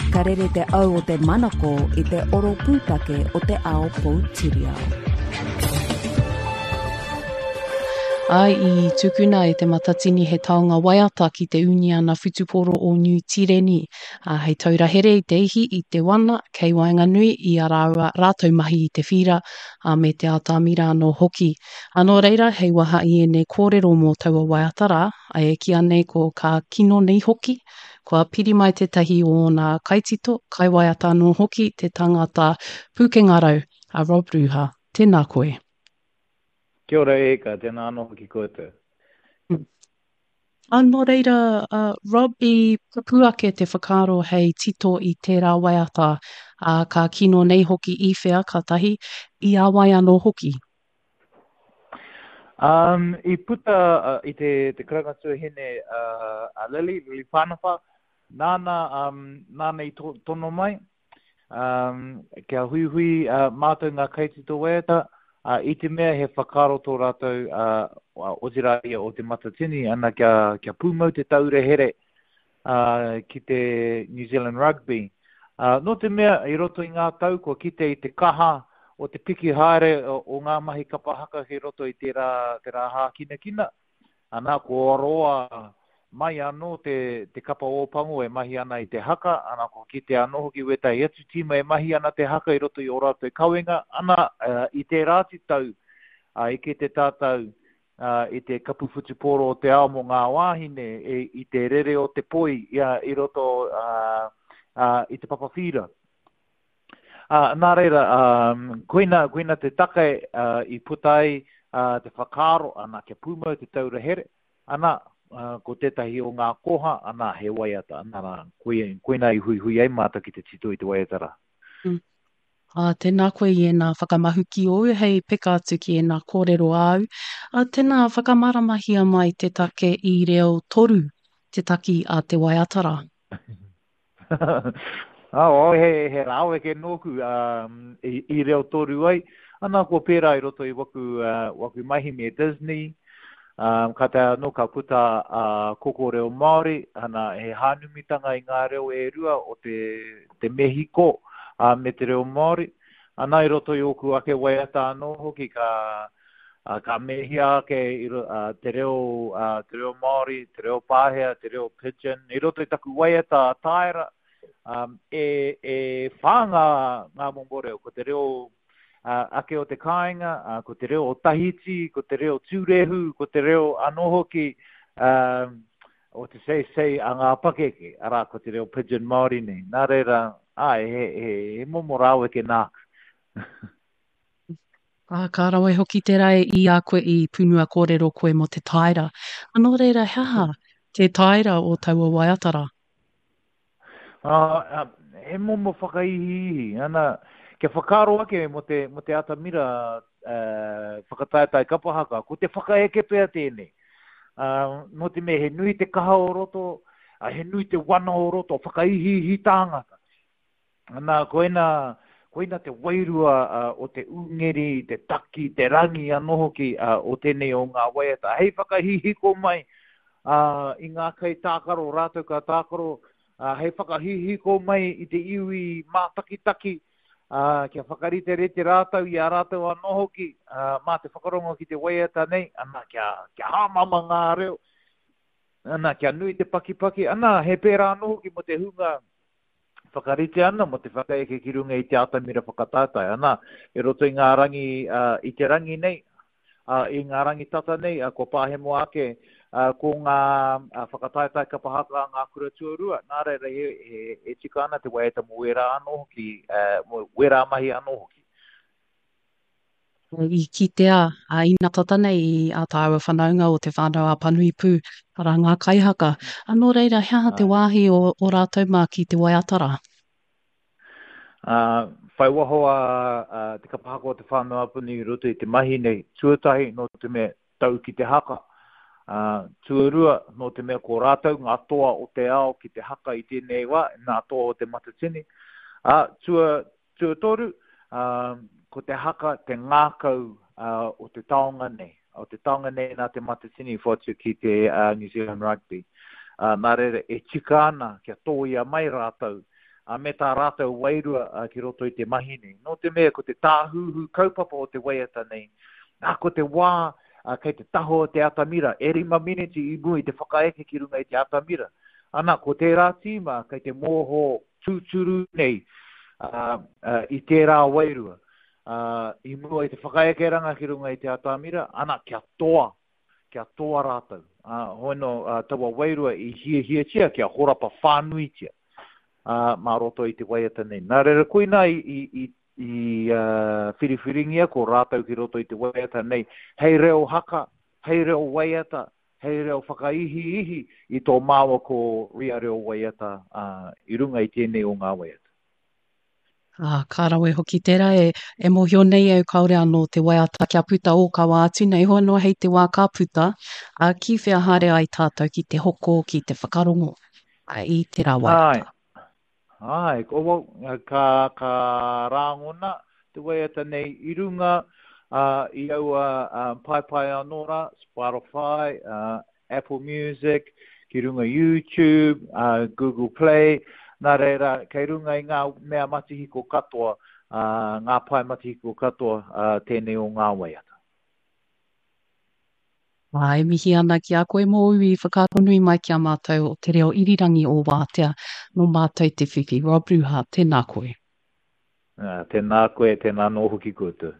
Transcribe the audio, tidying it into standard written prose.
Ka rere te au o te manako i te oro pūtake o te ao poutiriao. Āe, i tukuna e Te Matatini he taonga waiata ki te Uniana Whutupōro o Niu Tīreni, ā, hei taura here i te ihi, i te wana, kei waenganui i a rāua rātou mahi i te whīra, ā, me te atamira anō hoki. Ā, nō reira, hei waha i ēnei kōrero mō taua waiata rā, ā, e kīa nei ko Ka Kino Nei Hoki, Kua piri mai tētahi o ōna kaitito, kaiwaiata anō hoki, te tangata pūkenga rau, a Rob Ruha. Tēnā koe. Kia ora e Eka, tēnā anō hoki koutou. Ā, nō reira, Rob, i pupū ake te whakaaro hei tito i tērā waiata, ā, ka kino nei hoki i whea, ka tahi, i a wai anō hoki? Um, i puta uh, i te, te karanga tuahine uh, a Lily, Lily Pānapa, nāna, um, nāna i to, tono mai, um, kia huihui uh, mātou ngā kaitito waiata, uh, i te mea he whakaaro tō rātou, uh, otirā ia o te Matatini, ana kia, kia pūmau te taura here, ā, ki te New Zealand Rugby. Ā, nō te mea i roto i ngā tau kua kite i te kaha o te piki haere o ngā mahi kapa haka ki roto i tērā, tērā hākinakina, ana, kua roa mai anō te, te kapa Ōpango e mahi ana i te haka, ana, kua kite anō hoki wētahi atu tīma e mahi ana te haka i roto i ō rātou kawenga, ana, i tērā atu tau, ā, i kite tātou i te Kapu Whutupōro o te Ao mō ngā wāhine i te rere o te poi i roto i te papa whīra. Nā reira, koina, koina te take i puta ai te whakaaro, ana, kia pūmau te taura here, ana, ko tētahi o ngā koha, ana, he waiata, ana rā, koina i huihui ai mātou ki te tito i te waiata rā. Mm. Ā, tēnā koe i ēnā whakamahuki ōu hei peka atu ki ēnā kōrero āu. Ā, tēnā whakamāramahia mai te take i reo toru te taki a te waiata rā. Ā, oh, he, he rāweke nōku um, i, i reo toru ai. Ana, kua pērā i roto i waku, uh, waku mahi me Disney. Um, ka taea anō ka puta a uh, Koko Reo Māori, ana, he hānumitanga i ngā reo e rua o te, te Mehiko uh, me te reo Māori. Ana i roto i ōku ake waiata anō hoki ka, uh, ka mehia ake i, uh, te, reo, uh, te reo Māori, te reo Pāhea, te reo Pidgin. I roto i taku waiata a Taera, um, e, e whā ngā, ngā momo reo, ko te reo ake o te kāinga, ko te reo o Tahiti, ko te reo Tūrehu, ko te reo anō hoki o te seisei a ngā pakeke, arā, ko te reo pidgin Māori nei. Nā reira, āe, he, he, he momo rāweke nāku. Ā, ka rawe hoki tērā i a koe i punua kōrero koe mō te taera. Nō reira, he aha te taera o taua waiata rā? Ā, he momo whakaihiihi, ana, kia whakaaro ake mō te, mō te atamira whakataetae kapa haka, ko te whakaeke pea tēnei. Ā, nō te mea he nui te kaha o roto, ā, he nui te wana o roto, whakaihiihi tāngata. Ana, koina, koina te wairua o te ūngeri, te taki, te rangi anō hoki o tēnei o ngā waiata. Hei whakahihiko mai i ngā kaitākaro rātou ka tākaro, hei whakahihiko mai i te iwi mātakitaki, kia whakariterite rātou i a rātou anō hoki mā te whakarongo ki te waiata nei, ana, kia, kia hāmama ngā reo, ana, kia nui te pakipaki, ana, he pērā anō hoki mō te hunga whakarite ana mō te whakaeke ki runga i te atamira whakataetae, ana, i roto i ngā rangi, i te rangi nei, i ngā rangi tata nei, kua pāhemo ake ko ngā whakataetae kapa haka a ngā kura tuarua, nā reira he, he, e tika ana te waiata mō wērā anō hoki, mō wērā mahi anō hoki. I kitea a ina tata nei i ā tāua whanaunga o Te Whānau-a-Apanui pū, arā ngā kaihaka. A nō reira, he aha te wāhi o, o rātou mā ki te waiata rā? Ā, whai waho a, a te kapa haka o Te Whānau-a-Apanui i roto i te mahi nei, tuatahi nō te mea tau ki te haka, ā, tuarua nō te mea ko rātou ngā toa o te ao ki te haka i tēnei wā, ngā toa o Te Matatini, ā, tua, Tuatoru, ko te haka te ngākau o te taonga nei, o te taonga nei nā Te Matatini i whoatu ki te New Zealand Rugby. Nā reira, e tika ana kia tōia mai rātou me tā rātou wairua ki roto i te mahi nei. Nō te mea ko te tāhuhu kaupapa o te waiata nei, nā, ko te wā kei te taha o te atamira, e rima miniti i mua i te whakaeke ki runga i te atamira. Ana, ko tērā tīma kei te mōho tūturu nei i tērā wairua. I mua i te whakaekeranga ki runga i te atamira, ana, kia toa, kia toa rātou. Hoi nō, taua wairua i hiahiatia kia horapa whānuitia mā roto i te waiata nei. Nā reira, koinā i, i, i, i whiriwhiringia ko rātou ki roto i te waiata nei hei reo haka, hei reo waiata, hei reo whakaihiihi i tō māua ko Ria reo waiata i runga i tēnei o ngā waiata. Ā, ka rawe hoki tērā e, e mōhio nei au kāore anō te waiata kia puta ōkawa atu nei, hoi anō hei te wā ka puta, ā, ki whea haere ai tātou ki te hoko, ki te whakarongo ā, i tērā waiata. Āe, āe, ko, well, ka, ka rāngona te waiata nei i runga ā, i aua ā, paepae anō rā, Spotify, ā, Apple Music, ki runga YouTube, uh, Google Play, nā reira, kei runga i ngā mea matihiko katoa, uh, ngā pae matihiko katoa uh, tēnei o ngā waiata. Ā, e mihi ana ki a koe mōu i whakaaronui mai ki a mātou o Te Reo Irirangi o Wātea, nō mātou te whiwhi. Rob Ruha, tēnā koe. Uh, tēnā koe, tēnā anō hoki koutou.